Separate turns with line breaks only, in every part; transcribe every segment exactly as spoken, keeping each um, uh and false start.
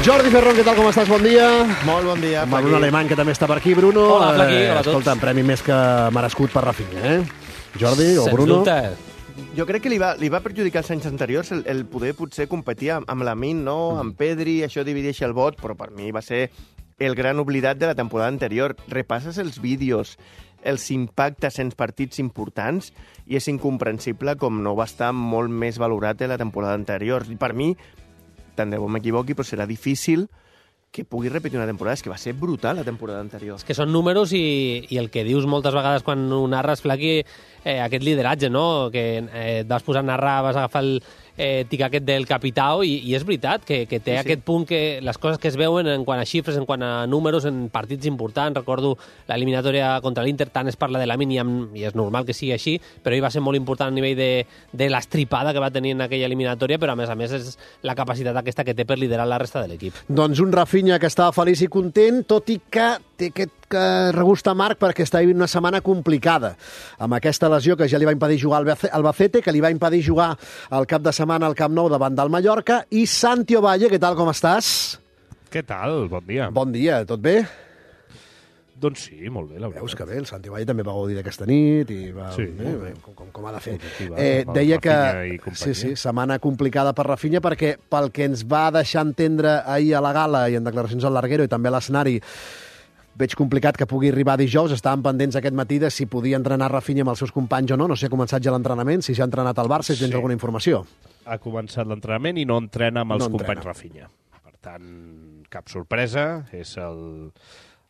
Jordi Ferrón, què tal, com estàs? Bon dia.
Molt bon dia,
Amb Bruno Alemany, que també està per aquí. Bruno,
hola, Flaqui, hola a tots.
Escolta, un premi més que merescut per Rafinha, eh? Jordi o
Sens
Bruno?
dubte.
Jo crec que li va, li va perjudicar els anys anteriors el, el poder potser competir amb, amb Lamine, no? Mm. Amb Pedri, això divideix el vot, però per mi va ser el gran oblidat de la temporada anterior. Repasses els vídeos, els impactes en partits importants, i és incomprensible com no va estar molt més valorat de la temporada anterior. I per mi, tant de bo m'equivoqui, però serà difícil que pugui repetir una temporada. És que va ser brutal la temporada anterior.
És que són números i, i el que dius moltes vegades quan ho narres, Flaqui, eh, aquest lideratge, no? Que eh, et vas posar a narrar, vas agafar el eh, tic aquest del capitao i, i és veritat que, que té
Sí, sí.
aquest punt que les coses que es veuen en quant a xifres, en quant a números, en partits importants. Recordo l'eliminatòria contra l'Inter, tant es parla de Lamine i, amb, i és normal que sigui així, però ell va ser molt important a nivell de, de l'estripada que va tenir en aquella eliminatòria, però a més a més és la capacitat aquesta que té per liderar la resta de l'equip.
Doncs un Rafinha que estava feliç i content, tot i que té aquest que regust amarg perquè està vivint una setmana complicada, amb aquesta lesió que ja li va impedir jugar al Albacete, que li va impedir jugar el cap de setmana al Camp Nou davant del Mallorca. I Santi Ovalle, què tal, com estàs?
Què tal? Bon dia.
Bon dia, tot bé?
Doncs sí, molt bé, la veritat.
Veus que bé, el Santi Ovalle també va gaudir d'aquesta nit i va,
Sí,
bé,
molt
bé,
bé.
com, com, com ha de fer.
Positiva,
Eh,
per
deia que
Rafinha i companyia.
sí, sí, setmana complicada per Rafinha perquè pel que ens va deixar entendre ahir a la gala i en declaracions al Larguero i també a l'escenari, veig complicat que pugui arribar dijous. Estàvem pendents aquest matí de si podia entrenar Rafinha amb els seus companys o no. No sé si ha començat ja l'entrenament, si ja ha entrenat al Barça, si tens
Sí.
alguna informació.
Ha començat l'entrenament i no entrena amb els
No
companys
entrena.
Rafinha. Per tant, cap sorpresa. És el,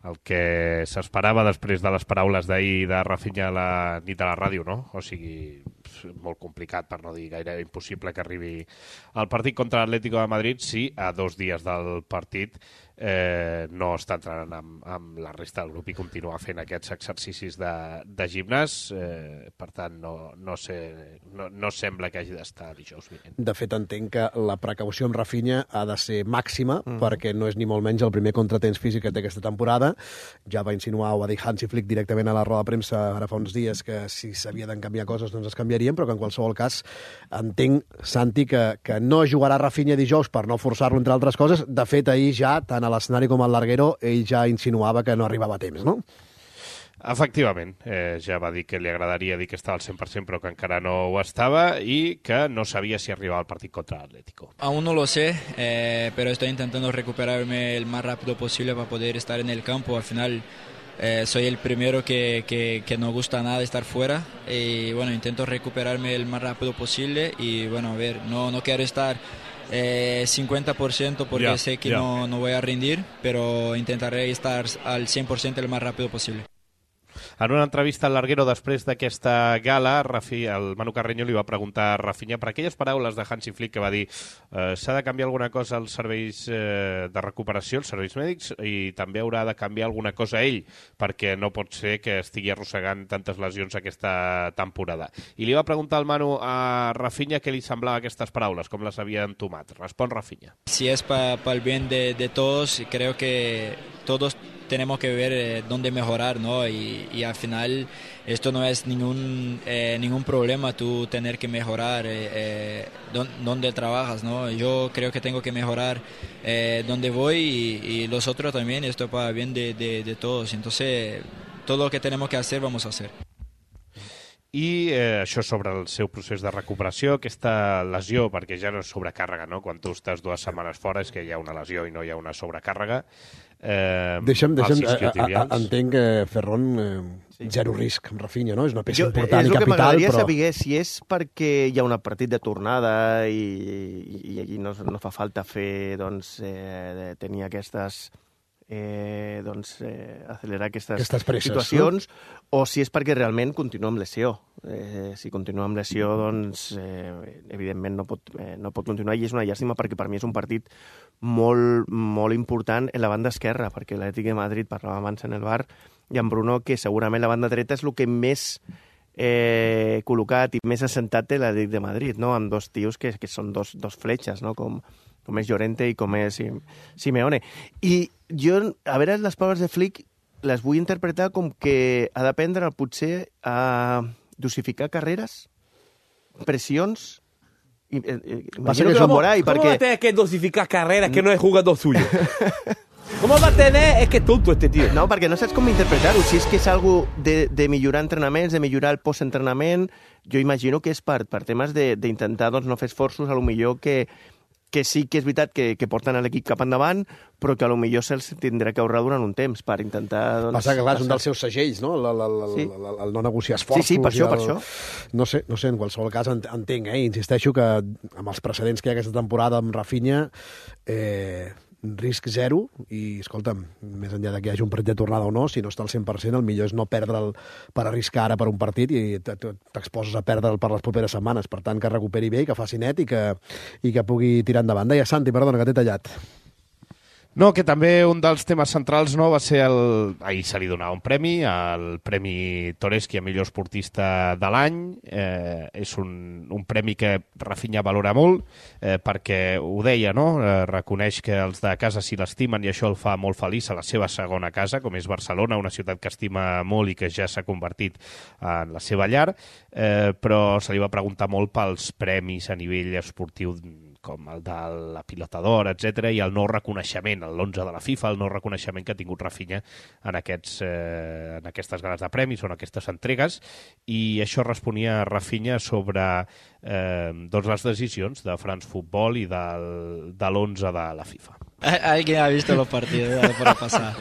el que s'esperava després de les paraules d'ahir de Rafinha a la nit de la ràdio, no? O sigui, molt complicat, per no dir gairebé impossible que arribi al partit contra l'Atlético de Madrid si a dos dies del partit eh, no està entrenant amb, amb la resta del grup i continua fent aquests exercicis de, de gimnàs. Eh, per tant, no, no, sé, no, no sembla que hagi d'estar dijous vinent.
De fet, entenc que la precaució amb Rafinha ha de ser màxima, mm. perquè no és ni molt menys el primer contratemps físic que té aquesta temporada. Ja va insinuar, o va dir Hansi Flick directament a la roda de premsa ara fa uns dies, que si s'havien canviar coses doncs es canviarien, però que en qualsevol cas entenc, Santi, que, que no jugarà Rafinha dijous per no forçar-lo, entre altres coses. De fet, ahir ja, tant a l'escenari com al Larguero, ell ja insinuava que no arribava a temps, no?
Efectivament, eh, ja va dir que li agradaria dir que estava al cent per cent però que encara no ho estava i que no sabia si arribava al partit contra l'Atlético.
Aún no lo sé, eh, pero estoy intentando recuperarme el más rápido posible para poder estar en el campo. Al final eh, soy el primero que, que, que no gusta nada estar fuera y bueno, intento recuperarme el más rápido posible y bueno, a ver, no, no quiero estar eh, cincuenta por ciento porque
Ya,
sé que
ya.
no, no voy a rendir, pero intentaré estar al cien por ciento el más rápido posible.
En una entrevista al Larguero després d'aquesta gala, Rafi, el Manu Carreño li va preguntar a Rafinha per aquelles paraules de Hansi Flick que va dir eh, s'ha de canviar alguna cosa als serveis eh, de recuperació, els serveis mèdics, i també haurà de canviar alguna cosa ell, perquè no pot ser que estigui arrossegant tantes lesions aquesta temporada. I li va preguntar al Manu a Rafinha què li semblava aquestes paraules, com les havia entomat. Respon Rafinha.
Si es para pa el bien de, de todos, creo que todos tenemos que ver eh, dónde mejorar, ¿no? Y, y al final esto no es ningún eh, ningún problema tú tener que mejorar eh, eh, don, dónde trabajas, ¿no? Yo creo que tengo que mejorar eh, dónde voy y, y los otros también, esto es para el bien de, de, de todos. Entonces, todo lo que tenemos que hacer, vamos a hacer.
I eh, això sobre el seu procés de recuperació, aquesta lesió, perquè ja no és sobrecàrrega, no? Quan tu estàs dues setmanes fora és que hi ha una lesió i no hi ha una sobrecàrrega. Eh,
Deixa'm, deixa'm,
els
a, a, a,
isquiotibials.
entenc que Ferron, eh,
Sí.
zero risc amb Rafinha, no? És una peça
Jo,
important
és
i
el que
capital,
m'agradaria
però...
saber si és perquè hi ha un partit de tornada i, i, i allí no, no fa falta fer, doncs, eh, de tenir aquestes... Eh, doncs, eh, accelerar aquestes,
Aquestes presses,
situacions, no? O si és perquè realment continua amb lesió. Eh, si continua amb lesió, doncs, eh, evidentment no pot, eh, no pot continuar, i és una llàstima perquè per mi és un partit molt, molt important en la banda esquerra, perquè l'Atlètic de Madrid, parlàvem abans en el bar, i en Bruno, que segurament la banda dreta és el que més eh, col·locat i més assentat té l'Atlètic de Madrid, no? Amb dos tios que, que són dos, dos fletxes, no? Com, com és Llorente i com és Simeone. I jo, a veure, les paraules de Flick les vull interpretar com que ha d'aprendre potser a dosificar carreres, pressions I, eh, eh,
Pasa
imagino
que
que lo
somos-
por ahí,
¿Cómo va a
perquè...
tener que dosificar carreras que no es jugador suyo? ¿Cómo va a tener? Es que es tonto este tío.
No, perquè no saps com interpretar-ho. Si és que és algo de, de millorar entrenaments, de millorar el postentrenament, jo imagino que és per, per temes de- d'intentar doncs, no fer esforços, a lo millor que, que sí que és veritat que, que porten l'equip cap endavant, però que a lo millor se'ls tindrà que ahorrar durant un temps per intentar... Doncs,
Passa que, clar, és un dels seus segells, no? El, el, el,
Sí.
el, el no negociar esforços.
Sí, sí, per
i
això,
el...
per això.
No sé, no sé, en qualsevol cas ent- entenc, eh? Insisteixo que amb els precedents que hi ha aquesta temporada amb Rafinha, eh, risc zero, i, escolta'm, més enllà de que hi hagi un partit de tornada o no, si no està al cent per cent, el millor és no perdre'l per arriscar ara per un partit i t- t- t'exposes a perdre'l per les properes setmanes. Per tant, que recuperi bé, i que faci net i que, i que pugui tirar endavant. Deia, Santi, perdona, que t'he tallat.
No, que també un dels temes centrals no va ser el... Ahir se li donava un premi, el Premi Toreski a millor esportista de l'any. Eh, és un, un premi que Rafinha valora molt, eh, perquè ho deia, no? Eh, reconeix que els de casa s'hi l'estimen i això el fa molt feliç a la seva segona casa, com és Barcelona, una ciutat que estima molt i que ja s'ha convertit en la seva llar, eh, però se li va preguntar molt pels premis a nivell esportiu com el de la Pilota d'Or, etcètera, i el no reconeixement, l'onze de la FIFA, el no reconeixement que ha tingut Rafinha en, aquests, eh, en aquestes ganes de premis o en aquestes entregues, i això responia Rafinha sobre eh, doncs les decisions de France Football i del, de l'onze de la FIFA.
Alguien ha visto los partidos de la pasada.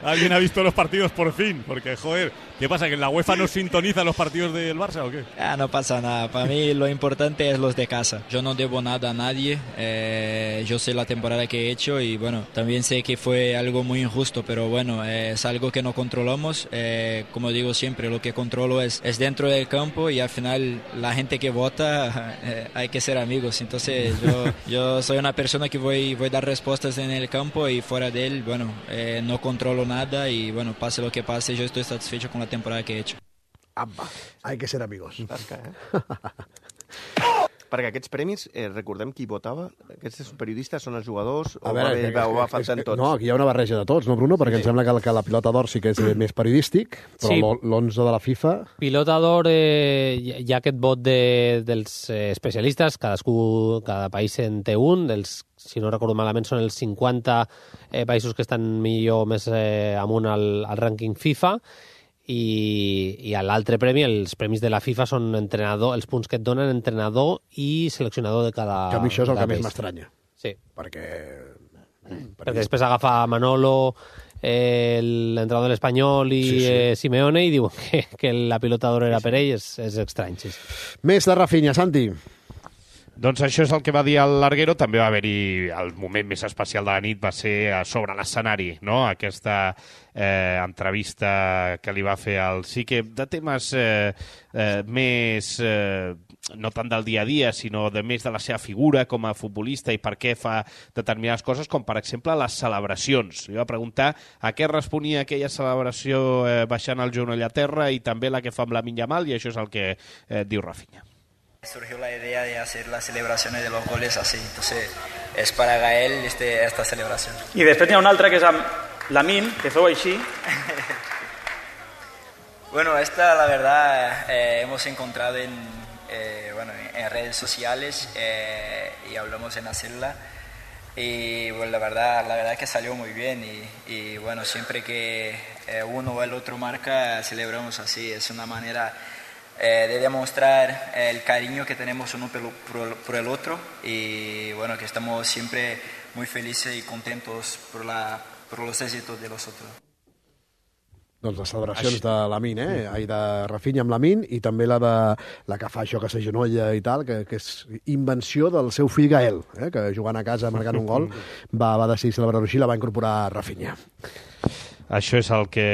¿Alguien ha visto los partidos por fin? Porque, joder, ¿qué pasa? ¿Que la UEFA no sintoniza los partidos del Barça o qué?
Ah, no pasa nada. Para mí lo importante es los de casa. Yo no debo nada a nadie. Eh, yo sé la temporada que he hecho y bueno, también sé que fue algo muy injusto, pero bueno, eh, es algo que no controlamos. Eh, como digo siempre, lo que controlo es, es dentro del campo y al final la gente que vota eh, hay que ser amigos. Entonces yo, yo soy una persona que voy, voy a dar respuestas en el campo y fuera de él, bueno, eh, no controlo nada y bueno, pase lo que pase, yo estoy satisfecho con la temporada que he hecho.
Apa, hay que ser amigos.
Tasca, eh? Perquè aquests premis, eh, recordem qui votava? Aquests periodistes són els jugadors o,
A veure,
va, haver,
que-
va, o va
que-
faltant
que-
tots?
No, aquí hi ha una barreja de tots, no, Bruno? Perquè
Sí.
em sembla que, la- que la pilota d'or sí que és més periodístic, però
Sí.
l'o- l'onze de la FIFA...
Pilota d'or, eh, hi ha aquest vot de, dels eh, especialistes, cadascú, cada país en té un, dels, si no recordo malament, són els cinquanta eh, països que estan millor més eh, amunt al, al rànquing FIFA, i, i l'altre premi, els premis de la FIFA, són entrenador, els punts que et donen entrenador i seleccionador de cada
Que a mi això és el
cada
que més
país.
m'estranya,
Sí,
perquè...
perquè després agafa Manolo, eh, l'entrenador de l'Espanyol i
Sí, sí.
eh, Simeone, i diuen que, que la pilota d'or era per ell, és, és estrany, sí.
Més de Rafinha, Santi.
Doncs això és el que va dir el Larguero. També va haver-hi el moment més especial de la nit, va ser a sobre l'escenari, no? Aquesta eh, entrevista que li va fer al Sique de temes eh, eh, més... Eh, no tant del dia a dia, sinó de més de la seva figura com a futbolista i per què fa determinades coses, com per exemple les celebracions. Li va preguntar a què responia aquella celebració eh, baixant el genoll a terra i també la que fa amb la Yamal, i això és el que eh, diu Rafinha.
Surgió la idea de hacer las celebraciones de los goles así, entonces es para Gael este, esta celebración.
I després n'hi ha una altra que és amb Lamine, que feu així.
Bueno, esta la verdad eh, hemos encontrado en, eh, bueno, en redes sociales eh, y hablamos en hacerla y bueno, la verdad, la verdad que salió muy bien y, y bueno, siempre que eh, uno o el otro marca celebramos así, es una manera eh, de demostrar el cariño que tenemos uno por, por, por el otro y bueno, que estamos siempre muy felices y contentos por, la, por los éxitos de los otros.
Doncs les celebracions de Lamine, eh? Ai, de Rafinha amb Lamine, i també la de la que fa això que s'agenolla i tal, que, que és invenció del seu fill Gael, eh? Que jugant a casa, marcant un gol, va, va decidir celebrar-ho així i la va incorporar Rafinha.
Això és el que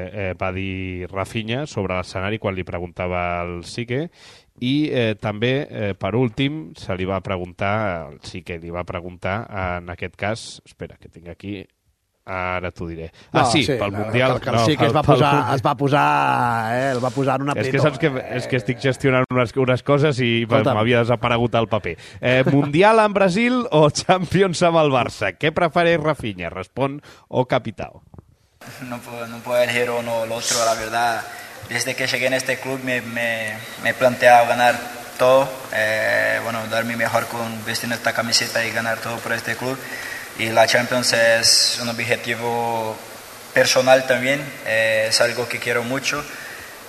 eh, va dir Rafinha sobre l'escenari quan li preguntava al Sique, i eh, també, eh, per últim, se li va preguntar, el Sique li va preguntar, en aquest cas, espera, que tinc aquí... Ara t'ho diré. Ah,
No,
sí,
sí,
pel
la-
Mundial...
Que el sí que es va posar, es va posar, eh, el va posar en un
És
apretó.
que saps que, és que estic gestionant unes, unes coses i
Escolta'm.
m'havia desaparegut el paper. Eh, Mundial amb Brasil o Champions amb el Barça? Què prefereix Rafinha? Respon o Capitao.
No puedo, no puedo elegir uno o el otro, la verdad. Desde que llegué en este club me, me, me he planteado ganar todo, eh, bueno, dar mi mejor con vestiendo esta camiseta y ganar todo por este club. Y la Champions es un objetivo personal también, eh, es algo que quiero mucho.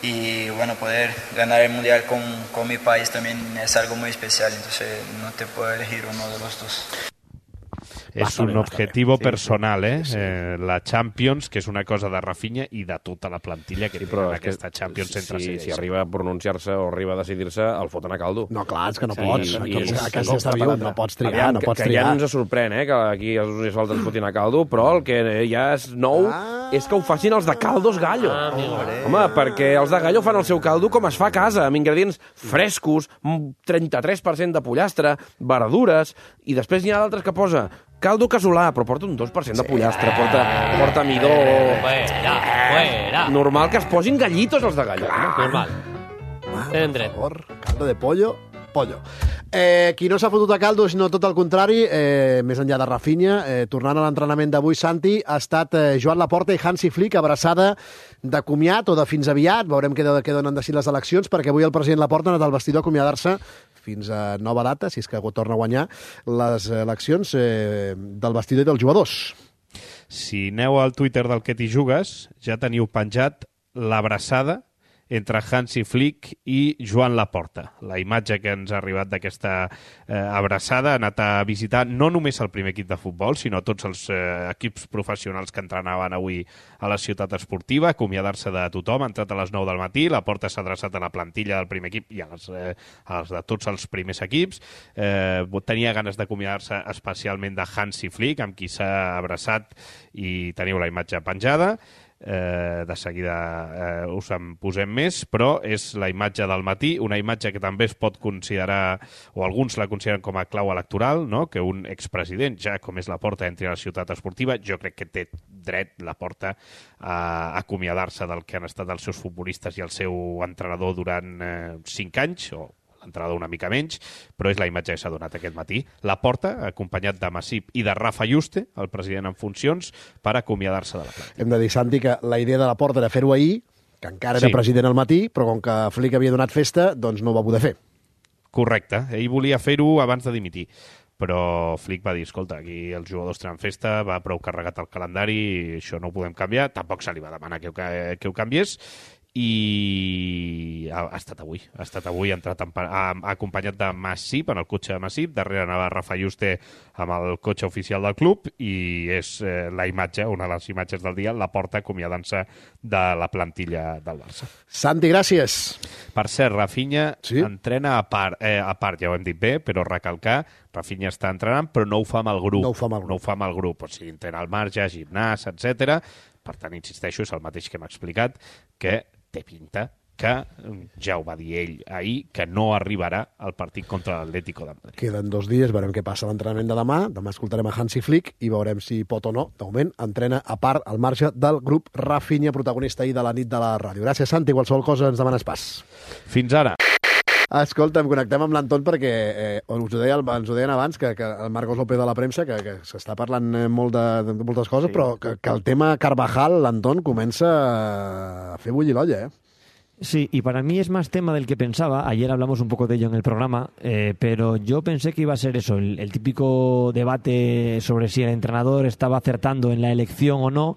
Y bueno, poder ganar el Mundial con, con mi país también es algo muy especial, entonces no te puedo elegir uno de los dos.
És un objectiu personal, eh? Sí, sí. eh? La Champions, que és una cosa de Rafinha i de tota la plantilla que sí, té en aquesta Champions
si,
entre
si, si arriba a pronunciar-se o arriba a decidir-se, el foten a caldo.
No, clar, és que no
sí,
pots.
I,
I,
i,
a casa està viu, no pots triar,
Aviam,
no pots
que,
triar.
Que ja ens sorprèn, eh, que aquí els universals ens fotin a caldo, però el que ja és nou ah, és que ho facin els de Caldos Gallo.
Ah,
Home, perquè els de Gallo fan el seu caldo com es fa a casa, amb ingredients frescos, trenta-tres per cent de pollastre, verdures, i després n'hi ha d'altres que posa caldo casolà, però porta un dos per cent de pollastre, sí. porta, porta midó...
Fuera, fuera.
Normal que es posin gallitos els de Gallo.
Normal. Tenen dret.
Caldo de pollo, pollo. Eh, qui no s'ha fotut a caldo, sinó tot el contrari, eh, més enllà de Rafinha, eh, tornant a l'entrenament d'avui, Santi, ha estat eh, Joan Laporta i Hansi Flick, abraçada de comiat o de fins aviat. Veurem què, què donen de si les eleccions, perquè avui el president Laporta ha anat al vestidor a acomiadar-se fins a nova data, si és que torna a guanyar les eleccions eh, del vestidor i dels jugadors.
Si aneu al Twitter del Que t'hi jugues, ja teniu penjat l'abraçada entre Hansi Flick i Joan Laporta. La imatge que ens ha arribat d'aquesta eh, abraçada ha anat a visitar no només el primer equip de futbol, sinó tots els eh, equips professionals que entrenaven avui a la ciutat esportiva, acomiadar-se de tothom. Ha entrat a les nou del matí, Laporta s'ha adreçat a la plantilla del primer equip i als, eh, als de tots els primers equips. Eh, tenia ganes d'acomiadar-se especialment de Hansi Flick, amb qui s'ha abraçat, i teniu la imatge penjada. Eh, de seguida eh, us en posem més, però és la imatge del matí, una imatge que també es pot considerar, o alguns la consideren com a clau electoral, no? Que un expresident, ja com és Laporta, entri a la ciutat esportiva. Jo crec que té dret Laporta a acomiadar-se del que han estat els seus futbolistes i el seu entrenador durant eh, cinc anys, o l'entrenador una mica menys, però és la imatge que s'ha donat aquest matí. Laporta, acompanyat de Masip i de Rafa Juste, el president en funcions, per acomiadar-se de la planta.
Hem de dir, Santi, que la idea de Laporta era fer-ho ahir, que encara era sí. president al matí, però com que Flick havia donat festa, doncs no ho va poder fer.
Correcte. Ell volia fer-ho abans de dimitir, però Flick va dir, escolta, aquí els jugadors tenen festa, va prou carregat el calendari, això no ho podem canviar, tampoc se li va demanar que ho, que ho canviés, i ha, ha estat avui ha estat avui, ha entrat en, ha, ha acompanyat de Masip, en el cotxe de Masip, darrere anava Rafa Juste amb el cotxe oficial del club, i és eh, la imatge, una de les imatges del dia, Laporta acomiadant-se de la plantilla del Barça.
Santi, gràcies.
Per cert, Rafinha
sí?
entrena a part, eh, a part, ja ho hem dit bé, però recalcar, Rafinha està entrenant, però no ho fa amb el grup.
No ho fa amb el grup.
No ho fa amb el grup, o sigui, entrena al marge, gimnàs, etcètera. Per tant, insisteixo, és el mateix que hem explicat, que té pinta que, ja ho va dir ell ahir, que no arribarà al partit contra l'Atlético de Madrid.
Queden dos dies, veurem què passa l'entrenament de demà. Demà escoltarem a Hansi Flick i veurem si pot o no. De moment, entrena a part al marge del grup Rafinha, protagonista ahir de la nit de la ràdio. Gràcies, Santi. Qualsevol cosa ens demanes pas.
Fins ara.
Escolta, em connectem amb l'Anton perquè eh, us ho deia, ens ho deien abans, que, que el Marcos López de la premsa, que, que s'està parlant molt de, de moltes coses, sí, però que, que el tema Carvajal, l'Anton, comença a fer bullir l'olla, eh?
Sí, y para mí es más tema del que pensaba. Ayer hablamos un poco de ello en el programa, eh, pero yo pensé que iba a ser eso, el, el típico debate sobre si el entrenador estaba acertando en la elección o no,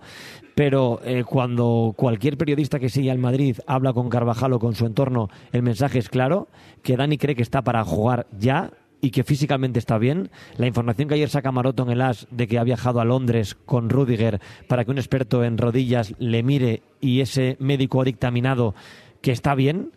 pero eh, cuando cualquier periodista que sigue al Madrid habla con Carvajal o con su entorno, el mensaje es claro, que Dani cree que está para jugar ya y que físicamente está bien. La información que ayer saca Maroto en el As de que ha viajado a Londres con Rüdiger para que un experto en rodillas le mire y ese médico ha dictaminado que está bien.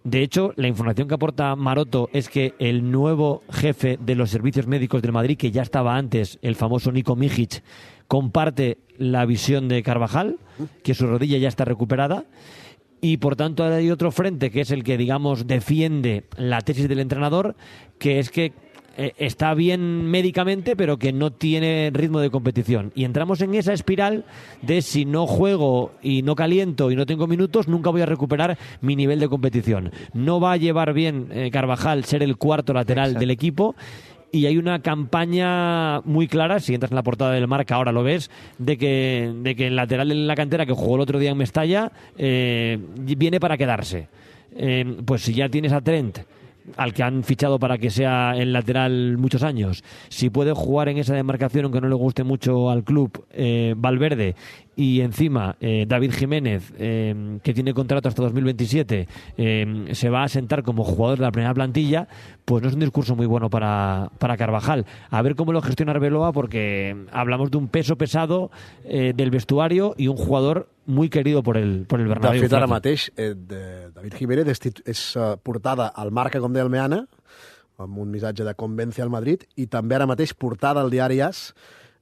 De hecho, la información que aporta Maroto es que el nuevo jefe de los servicios médicos del Madrid, que ya estaba antes, el famoso Niko Mijic, comparte la visión de Carvajal, que su rodilla ya está recuperada. Y por tanto hay otro frente que es el que, digamos, defiende la tesis del entrenador, que es que eh, está bien médicamente pero que no tiene ritmo de competición, y entramos en esa espiral de si no juego y no caliento y no tengo minutos, nunca voy a recuperar mi nivel de competición. No va a llevar bien eh, Carvajal ser el cuarto lateral Exacto. del equipo. Y hay una campaña muy clara, si entras en la portada del Marca ahora lo ves, de que, de que el lateral en la cantera que jugó el otro día en Mestalla eh, viene para quedarse. Eh, pues si ya tienes a Trent al que han fichado para que sea el lateral muchos años, si puede jugar en esa demarcación aunque no le guste mucho al club, eh, Valverde, y encima eh, David Jiménez, eh, que tiene contrato hasta dos mil veintisiete, eh, se va a sentar como jugador de la primera plantilla, pues no es un discurso muy bueno para, para Carvajal. A ver cómo lo gestiona Arbeloa, porque hablamos de un peso pesado eh, del vestuario y un jugador muy querido por el, por el Bernabéu.
De fet, ara mateix, eh, de David Jiménez és, és uh, portada al Marca, com deia el Meana, amb un missatge de Convence al Madrid, i també ara mateix portada al diari AS,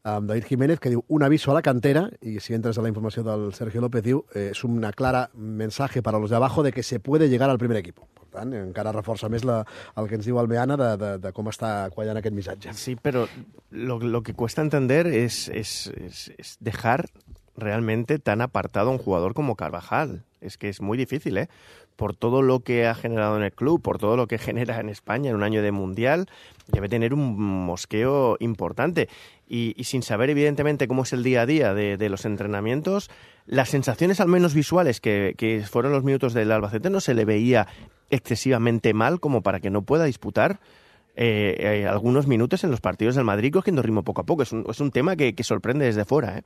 amb David Jiménez, que diu un aviso a la cantera, i si entres a la informació del Sergio López, diu eh, és una clara mensaje para los de abajo de que se puede llegar al primer equipo. Per tant, encara reforça més la, el que ens diu el Meana de, de, de com està quallant aquest missatge.
Sí, pero lo, lo que cuesta entender es, es, es, es dejar realmente tan apartado a un jugador como Carvajal. Es que es muy difícil, ¿eh? Por todo lo que ha generado en el club, por todo lo que genera en España en un año de Mundial, debe tener un mosqueo importante. Y, y sin saber, evidentemente, cómo es el día a día de, de los entrenamientos, las sensaciones, al menos visuales, que, que fueron los minutos del Albacete, no se le veía excesivamente mal como para que no pueda disputar eh, eh, algunos minutos en los partidos del Madrid, cogiendo ritmo poco a poco. Es un, es un tema que, que sorprende desde fuera, ¿eh?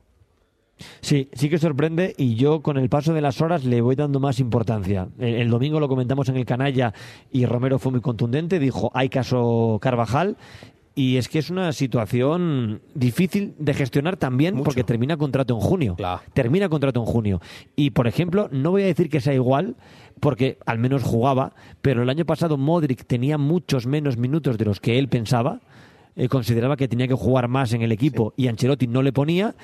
Sí, sí que sorprende, y yo con el paso de las horas le voy dando más importancia. El, el domingo lo comentamos en el Canalla y Romero fue muy contundente, dijo hay caso Carvajal, y es que es una situación difícil de gestionar también. Mucho. Porque termina contrato en junio. Claro. Termina contrato en junio. Y, por ejemplo, no voy a decir que sea igual, porque al menos jugaba, pero el año pasado Modric tenía muchos menos minutos de los que él pensaba. Eh, consideraba que tenía que jugar más en el equipo, sí. Y Ancelotti no le ponía,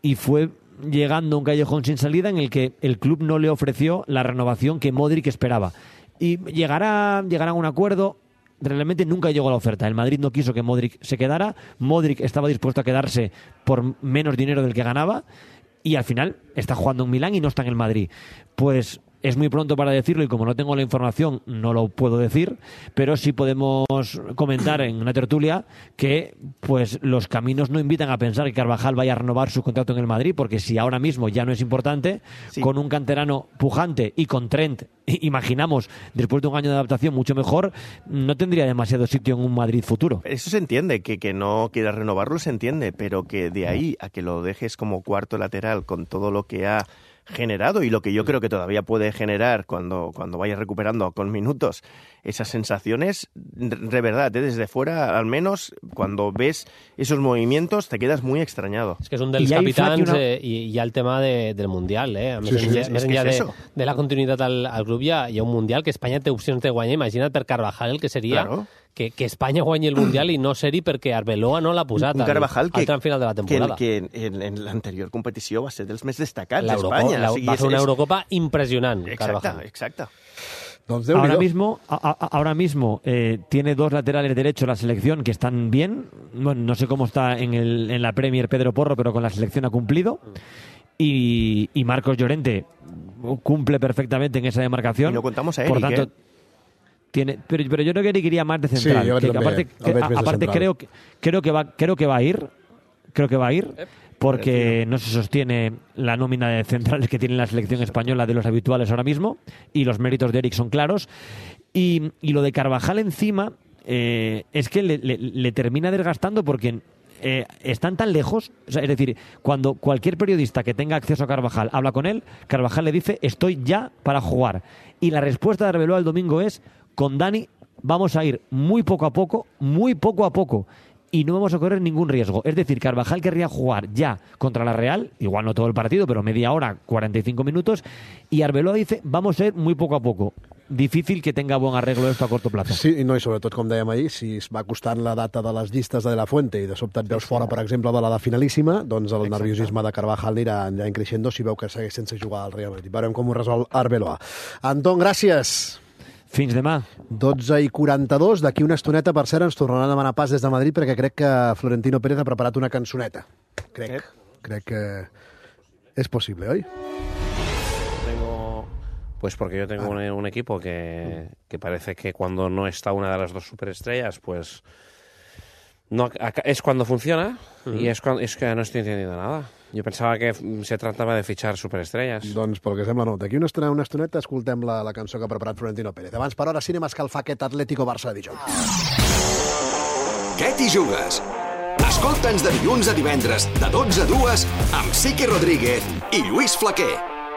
y fue llegando a un callejón sin salida en el que el club no le ofreció la renovación que Modric esperaba. Y llegará, llegará a un acuerdo. Realmente nunca llegó a la oferta. El Madrid no quiso que Modric se quedara. Modric estaba dispuesto a quedarse por menos dinero del que ganaba, y al final está jugando en Milán y no está en el Madrid. Pues es muy pronto para decirlo, y como no tengo la información no lo puedo decir, pero sí podemos comentar en una tertulia que pues los caminos no invitan a pensar que Carvajal vaya a renovar su contrato en el Madrid, porque si ahora mismo ya no es importante, sí. Con un canterano pujante y con Trent, imaginamos, después de un año de adaptación mucho mejor, no tendría demasiado sitio en un Madrid futuro.
Eso se entiende, que, que no quieras renovarlo se entiende, pero que de ahí a que lo dejes como cuarto lateral con todo lo que ha generado y lo que yo creo que todavía puede generar cuando, cuando vaya recuperando con minutos esas sensaciones, de verdad, ¿eh? Desde fuera, al menos, cuando ves esos movimientos, te quedas muy extrañado.
Es que es un dels capitans, una... eh, i hi ha el tema de, del Mundial, eh? A més, sí, sí, enllà, més enllà de, de la continuïtat al, al grup, hi ha, hi ha un Mundial que Espanya té opcions de guanyar. Imagina't per Carvajal el que seria... Claro. Que, que Espanya guanyi el Mundial i no ser-hi perquè Arbeloa no l'ha posat
un, un Carvajal
al,
que,
al tram final de la temporada.
Que, que en, en l'anterior competició va ser dels més destacats d'Espanya.
La,
o sigui,
va fer una
és,
Eurocopa impressionant,
exacte,
Carvajal.
Exacte,
exacte. Ahora mismo, a, a, ahora mismo eh, tiene dos laterales derechos la selección que están bien. Bueno, no sé cómo está en, el, en la Premier Pedro Porro, pero con la selección ha cumplido. Y, y Marcos Llorente cumple perfectamente en esa demarcación.
Y no contamos a Eric,
Por tanto,
¿eh?
Tiene, pero, pero yo creo que Eric iría más de central.
Sí,
que, que aparte, que, a, aparte creo que creo que va creo que va a ir, creo que va a ir, porque no se sostiene la nómina de centrales que tiene la selección española de los habituales ahora mismo, y los méritos de Eric son claros. Y, y lo de Carvajal encima eh, es que le, le, le termina desgastando porque eh, están tan lejos. O sea, es decir, cuando cualquier periodista que tenga acceso a Carvajal habla con él, Carvajal le dice estoy ya para jugar. Y la respuesta de Arbeloa el domingo es: con Dani vamos a ir muy poco a poco, muy poco a poco, y no vamos a correr ningún riesgo. Es decir, Carvajal querría jugar ya contra la Real, igual no todo el partido, pero media hora, cuarenta y cinco minutos, y Arbeloa dice, vamos a ir muy poco a poco. Difícil que tenga bon arreglo esto a corto plazo.
Sí, no, i sobretot, com dèiem ahir, si es va costant la data de les llistes de, de la Fuente i de sobte et veus fora, per exemple, de la de finalíssima, doncs el Exacte. nerviosisme de Carvajal anirà, anirà creixent si veu que segueix sense jugar al Real Madrid. Veurem com ho resol Arbeloa. Anton, gràcies.
Fins demà.
dotze i quaranta-dos. D'aquí una estoneta, per cert, ens tornaran a demanar pas des de Madrid perquè crec que Florentino Pérez ha preparat una cançoneta. Crec. Eh? Crec que és possible, oi?
Tengo... Pues porque yo tengo ah. un, un equipo que, que parece que cuando no está una de las dos superestrellas, pues
No, es cuando funciona mm. y es, cuando, es que no estoy entendiendo nada. Jo pensava que se tratava de fitxar superestrelles.
Doncs pel que sembla no. D'aquí una estona, una estoneta escoltem la, la cançó que ha preparat Florentino Pérez. Abans, per hora, cinema escalfar aquest Atlético Barça de dijous.
Què t'hi jugues? Escolta'ns de dilluns a divendres, de dotze a dues, amb Sique Rodríguez i Lluís Flaquer.